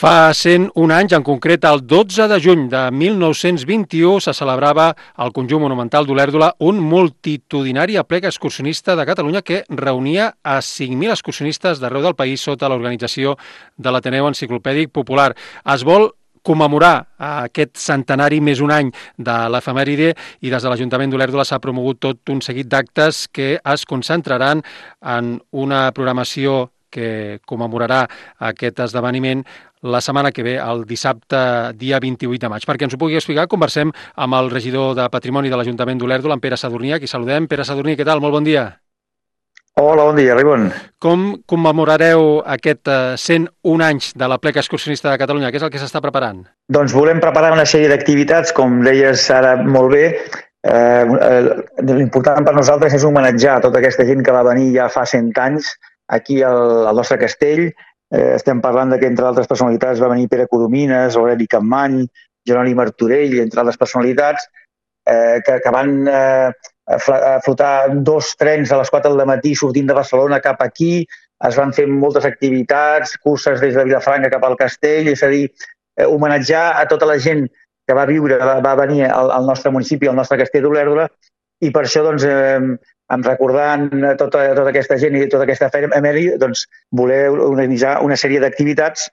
Fa 101 anys, en concret el 12 de juny de 1921, se celebrava al Conjunt Monumental d'Olèrdola un multitudinari aplec excursionista de Catalunya que reunia a 5.000 excursionistes d'arreu del país sota l'organització de l'Ateneu Enciclopèdic Popular. Es vol commemorar aquest centenari més un any de l'efemèride i des de l'Ajuntament d'Olèrdola s'ha promogut tot un seguit d'actes que es concentraran en una programació que commemorarà aquest esdeveniment la setmana que ve, el dissabte, dia 28 de maig. Perquè ens ho pugui explicar, conversem amb el regidor de Patrimoni de l'Ajuntament d'Olèrdola, en Pere Sadurní, a qui saludem. Pere Sadurní, què tal? Molt bon dia. Hola, bon dia, Ribon. Com commemorareu aquest 101 anys de l'aplec excursionista de Catalunya? Què és el que s'està preparant? Doncs volem preparar una sèrie d'activitats, com deies ara molt bé. L'important per nosaltres és homenatjar tota aquesta gent que va venir ja fa 100 anys aquí al nostre castell. Estem parlant que, entre altres personalitats, va venir Pere Coromines, Aureli Capmany, Jeroni Martorell, entre altres personalitats, que van flotar 2 trens a les 4 del matí sortint de Barcelona cap aquí. Es van fer moltes activitats, curses des de Vilafranca cap al castell, és a dir, homenatjar a tota la gent que va viure, va venir al nostre municipi, al nostre castell d'Olèrdola, i per això, doncs, recordant tota aquesta gent i tota aquesta efemèride, doncs, voler organitzar una sèrie d'activitats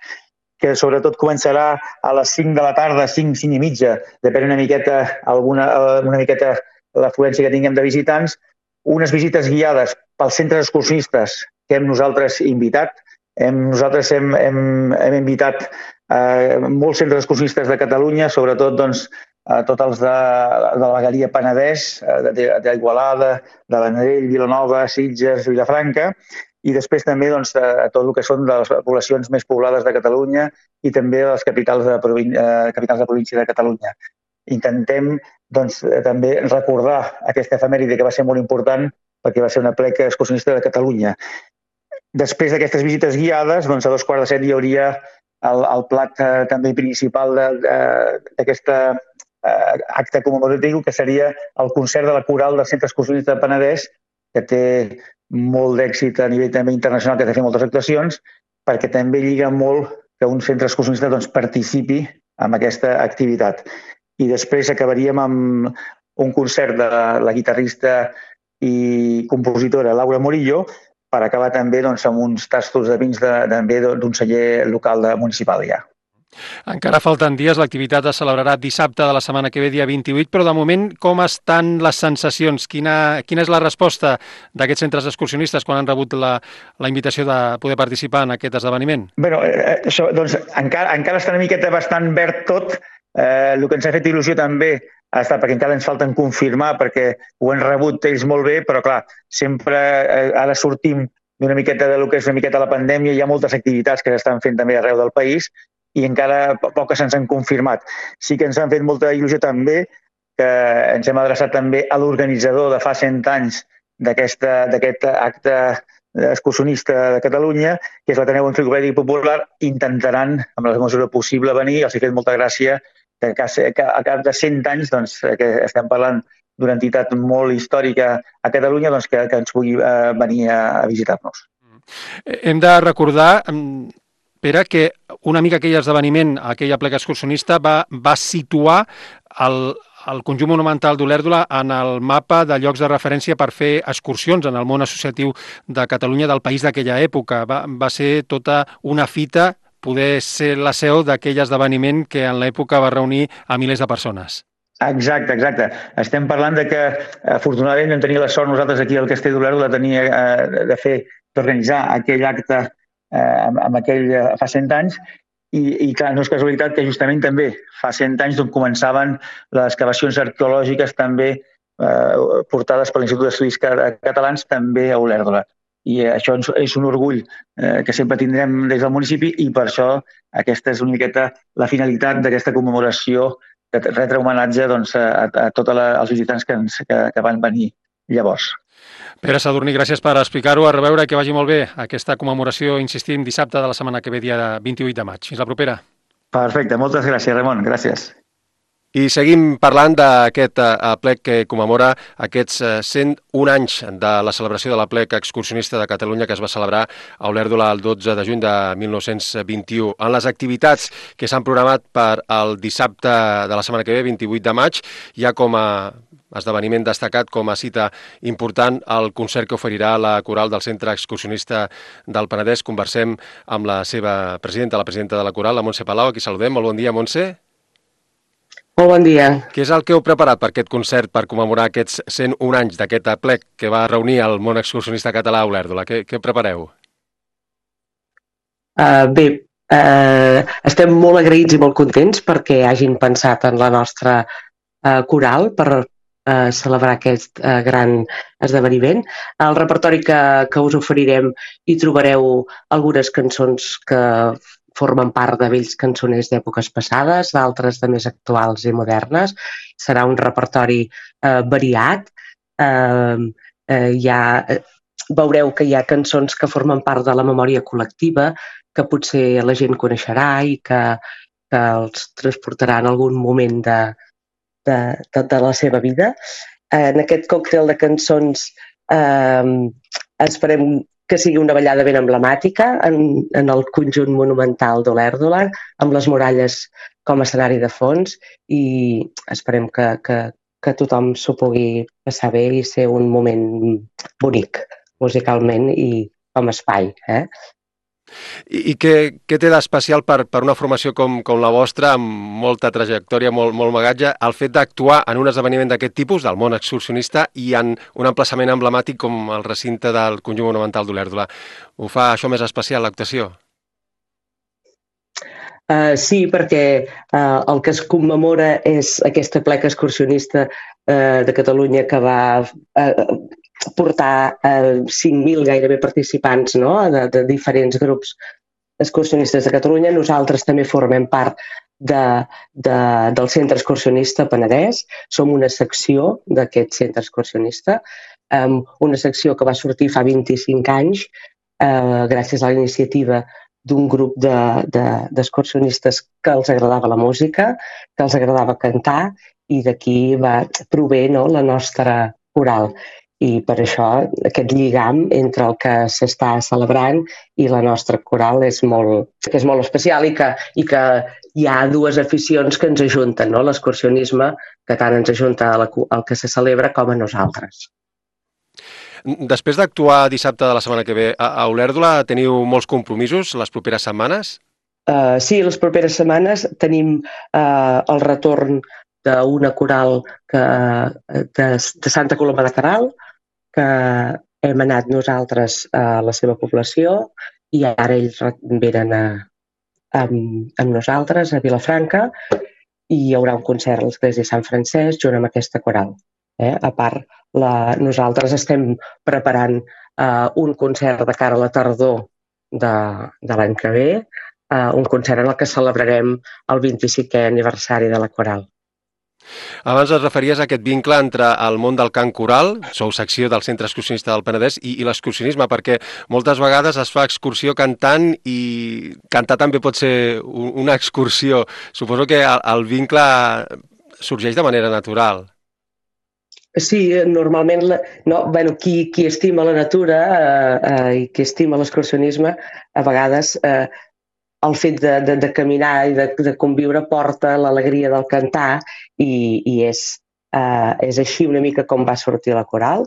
que sobretot començarà a les 5 de la tarda, 5 i mitja, depèn una miqueta l'afluència que tinguem de visitants, unes visites guiades pels centres excursionistes que hem nosaltres invitat. Nosaltres hem invitat molts centres excursionistes de Catalunya, sobretot doncs, tots els de la vegueria Penedès, d'Igualada, de Vendrell, Vilanova, Sitges, Vilafranca, i després també doncs, tot el que són de les poblacions més poblades de Catalunya i també de les capitals de província de Catalunya. Intentem doncs, també recordar aquesta efemèride que va ser molt important perquè va ser una aplec excursionista de Catalunya. Després d'aquestes visites guiades, doncs, a 6:45 hi hauria el plat també principal d'aquest acte commemoratiu, que seria el concert de la coral del Centre Excursionista de Penedès, que té molt d'èxit a nivell també internacional, que ha de fer moltes actuacions, perquè també lliga molt que un centre excursionista doncs, participi en aquesta activitat. I després acabaríem amb un concert de la guitarrista i compositora Laura Morillo, per acabar també doncs, amb uns tastos de vins d'un celler local municipal ja. Encara falten dies, l'activitat es celebrarà dissabte de la setmana que ve, dia 28, però de moment com estan les sensacions? Quina és la resposta d'aquests centres excursionistes quan han rebut la invitació de poder participar en aquest esdeveniment? Bé, doncs, encara està una miqueta bastant verd tot. El que ens ha fet il·lusió també ha estat perquè encara ens falten confirmar, perquè ho han rebut ells molt bé, però clar, sempre ara sortim d'una miqueta del que és una miqueta la pandèmia, hi ha moltes activitats que s'estan fent també arreu del país i encara poques se'ns han confirmat. Sí que ens han fet molta il·lusió també que ens hem adreçat també a l'organitzador de fa 100 anys d'aquest acte excursionista de Catalunya, que és l'Ateneu Enciclopèdic Popular. Intentaran, amb la mesura possible, venir. Els ha fet molta gràcia que a cap de 100 anys, doncs, que estem parlant d'una entitat molt històrica a Catalunya, doncs, que ens pugui venir a visitar-nos. Hem de recordar, Pere, que una mica aquell esdeveniment, aquell aplec excursionista, va situar el Conjunt Monumental d'Olèrdola en el mapa de llocs de referència per fer excursions en el món associatiu de Catalunya del país d'aquella època. Va ser tota una fita poder ser la seu d'aquell esdeveniment que en l'època va reunir a milers de persones. Exacte. Estem parlant de que, afortunadament, vam tenir la sort nosaltres aquí al Castell d'Olèrdola d'organitzar aquell acte fa 100 anys i clar, no és casualitat que justament també fa 100 anys d'on començaven les excavacions arqueològiques també portades per l'Institut d'Estudis Catalans també a Olèrdola. I això és un orgull que sempre tindrem des del municipi i per això aquesta és una miqueta la finalitat d'aquesta commemoració de retre homenatge doncs, a tots els visitants que van venir llavors. Pere Sadurní, gràcies per explicar-ho. A reveure, que vagi molt bé aquesta commemoració, insistim, dissabte de la setmana que ve, dia 28 de maig. Fins la propera. Perfecte, moltes gràcies, Ramon. Gràcies. I seguim parlant d'aquest aplec que commemora aquests 101 anys de la celebració de l'aplec excursionista de Catalunya que es va celebrar a Olèrdola el 12 de juny de 1921. En les activitats que s'han programat per el dissabte de la setmana que ve, 28 de maig, hi ha com a esdeveniment destacat, com a cita important, el concert que oferirà la coral del Centre Excursionista del Penedès. Conversem amb la seva presidenta, la presidenta de la coral, la Montse Palau, a qui saludem. Molt bon dia, Montse. Molt bon dia. Què és el que heu preparat per aquest concert per commemorar aquests 101 anys d'aquest aplec que va reunir el món excursionista català a Olèrdola? Què prepareu? Estem molt agraïts i molt contents perquè hagin pensat en la nostra coral per celebrar aquest gran esdeveniment. Al repertori que us oferirem hi trobareu algunes cançons que formen part de vells cançoners d'èpoques passades, d'altres de més actuals i modernes. Serà un repertori variat. Veureu que hi ha cançons que formen part de la memòria col·lectiva, que potser la gent coneixerà i que els transportarà en algun moment de la seva vida. En aquest còctel de cançons esperem que sigui una ballada ben emblemàtica en el conjunt monumental d'Olèrdola, amb les muralles com a escenari de fons, i esperem que tothom s'ho pugui passar bé i ser un moment bonic musicalment i com a espai. I què té d'especial per una formació com la vostra, amb molta trajectòria, molt bagatge, el fet d'actuar en un esdeveniment d'aquest tipus, del món excursionista, i en un emplaçament emblemàtic com el recinte del Conjunt Monumental d'Olèrdola? Ho fa això més especial, l'actuació? Sí, perquè el que es commemora és aquest aplec excursionista de Catalunya que va portar 5.000 gairebé participants, no?, de diferents grups excursionistes de Catalunya. Nosaltres també formem part del Centre Excursionista Penedès. Som una secció d'aquest Centre Excursionista, una secció que va sortir fa 25 anys gràcies a la iniciativa d'un grup d'excursionistes que els agradava la música, que els agradava cantar, i d'aquí prové la nostra coral. I per això aquest lligam entre el que s'està celebrant i la nostra coral és molt especial, i que hi ha dues aficions que ens ajunten, no? L'excursionisme, que tant ens ajunta al que se celebra, com a nosaltres. Després d'actuar dissabte de la setmana que ve a Olèrdola, teniu molts compromisos les properes setmanes? Sí, les properes setmanes tenim el retorn d'una coral de Santa Coloma de Queralt, que hem anat nosaltres a la seva població, i ara ells venen amb nosaltres a Vilafranca, i hi haurà un concert a l'Església de Sant Francesc junt amb aquesta coral. A part, nosaltres estem preparant un concert de cara a la tardor de l'any que ve, un concert en el que celebrarem el 25è aniversari de la coral. Abans es referies a aquest vincle entre el món del cant coral, sou secció del Centre Excursionista del Penedès, i l'excursionisme, perquè moltes vegades es fa excursió cantant, i cantar també pot ser una excursió. Suposo que el vincle sorgeix de manera natural. Sí, normalment qui estima la natura i qui estima l'excursionisme, a vegades el fet de caminar i de conviure porta l'alegria del cantar, i és així una mica com va sortir la coral.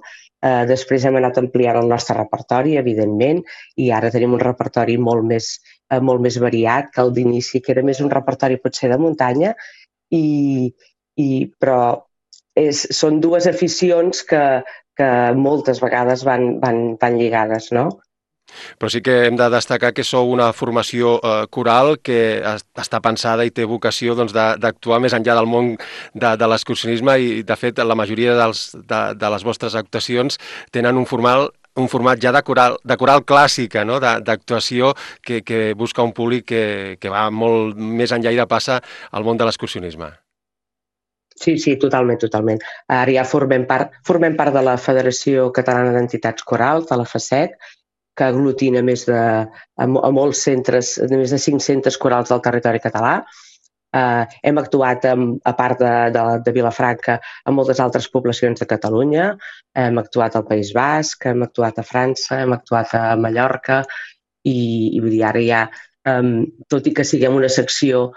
Després hem anat ampliant el nostre repertori, evidentment, i ara tenim un repertori molt més variat que el d'inici, que era més un repertori potser de muntanya, però són dues aficions que moltes vegades van lligades, no? Però sí que hem de destacar que sou una formació coral que està pensada i té vocació d'actuar més enllà del món de l'excursionisme, i de fet la majoria de les vostres actuacions tenen un format ja de coral clàssica, no? D'actuació que busca un públic que va molt més enllà i de passa al món de l'excursionisme. Sí, totalment. Ara ja formem part de la Federació Catalana d'Entitats Corals, de la FACEC, que aglutina a molts centres, més de 5 centres corals del territori català, Hem actuat, a part de Vilafranca, en moltes altres poblacions de Catalunya. Hem actuat al País Basc, hem actuat a França, hem actuat a Mallorca i vull dir, ara ja, tot i que siguem una secció,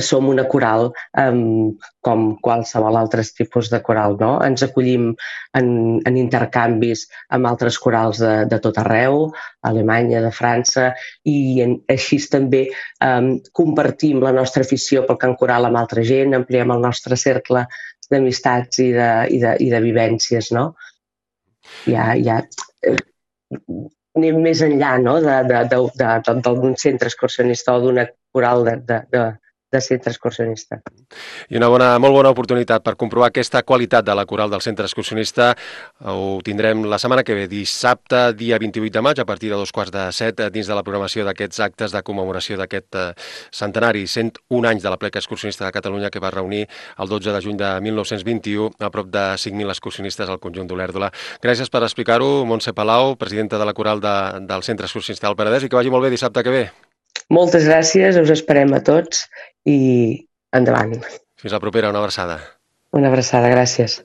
som una coral com qualsevol altre tipus de coral, no? Ens acollim en intercanvis amb altres corals de tot arreu, Alemanya, de França, i així també compartim la nostra afició pel cant coral amb altra gent, ampliem el nostre cercle d'amistats i de vivències, no? Ja anem més enllà, no?, d'un centre excursionista o d'una coral de centre excursionista. I una molt bona oportunitat per comprovar aquesta qualitat de la coral del centre excursionista ho tindrem la setmana que ve, dissabte, dia 28 de maig, a partir de 6:45, dins de la programació d'aquests actes de commemoració d'aquest centenari, 101 anys de la Plec Excursionista de Catalunya, que va reunir el 12 de juny de 1921 a prop de 5.000 excursionistes al conjunt d'Olèrdola. Gràcies per explicar-ho, Montse Palau, presidenta de la coral del centre excursionista del Penedès, i que vagi molt bé dissabte que ve. Moltes gràcies, us esperem a tots i endavant. Fins la propera, una abraçada. Una abraçada, gràcies.